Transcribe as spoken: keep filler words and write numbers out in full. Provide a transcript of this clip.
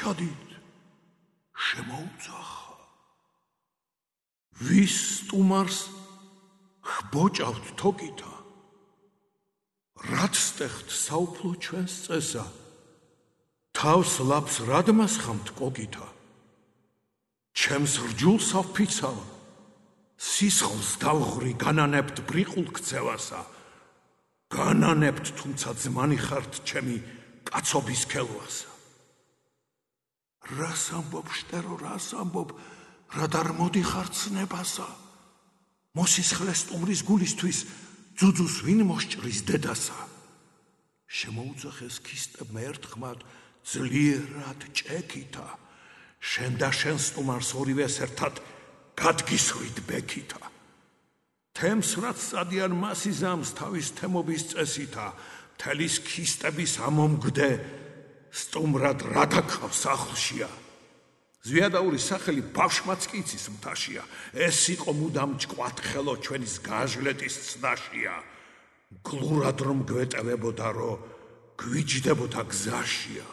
ჩადით შემოუძახა ვის სტუმარს ხბოჭავთ თოკითა რაც სტეხთ საუფლო ჩვენს წესა თავს ლაფს რად მასხამთ კოკითა ჩემს რჯულს ავფიცავ სისხლს დავღრი განანებთ ბრიყულ ქცევასა განანებთ თუმცა ძმანი ხართ ჩემი კაცობის ქელვასა რას ამბობ შტერო რას ამბობ რა დარმოდიხარ ცნებასა მოსისხლე სტუმრის გულისთვის ძუძუს ვინ მოსჭრის დედასა შემოუძახეს ქისტებმა ერთხმად ძლიერად ჭექითა შენ და შენ სტუმარს ორივეს ერთად გადგისვრით ბექითა თემს რაც წადიან მას იზამს თავის თემობის წესითა მთელის ქისტების ამომგდე სტუმრად რა დაგხავს სახლშია ზვიადაური სახელი ბავშვმაც კი იცის მთაშია ეს იყო მუდამ ჭკვატხელო ჩვენის გაჟლეტის ცნაშია გლურად რომ გვეტევებოდა რომ გვიჯდებოდა გზაშია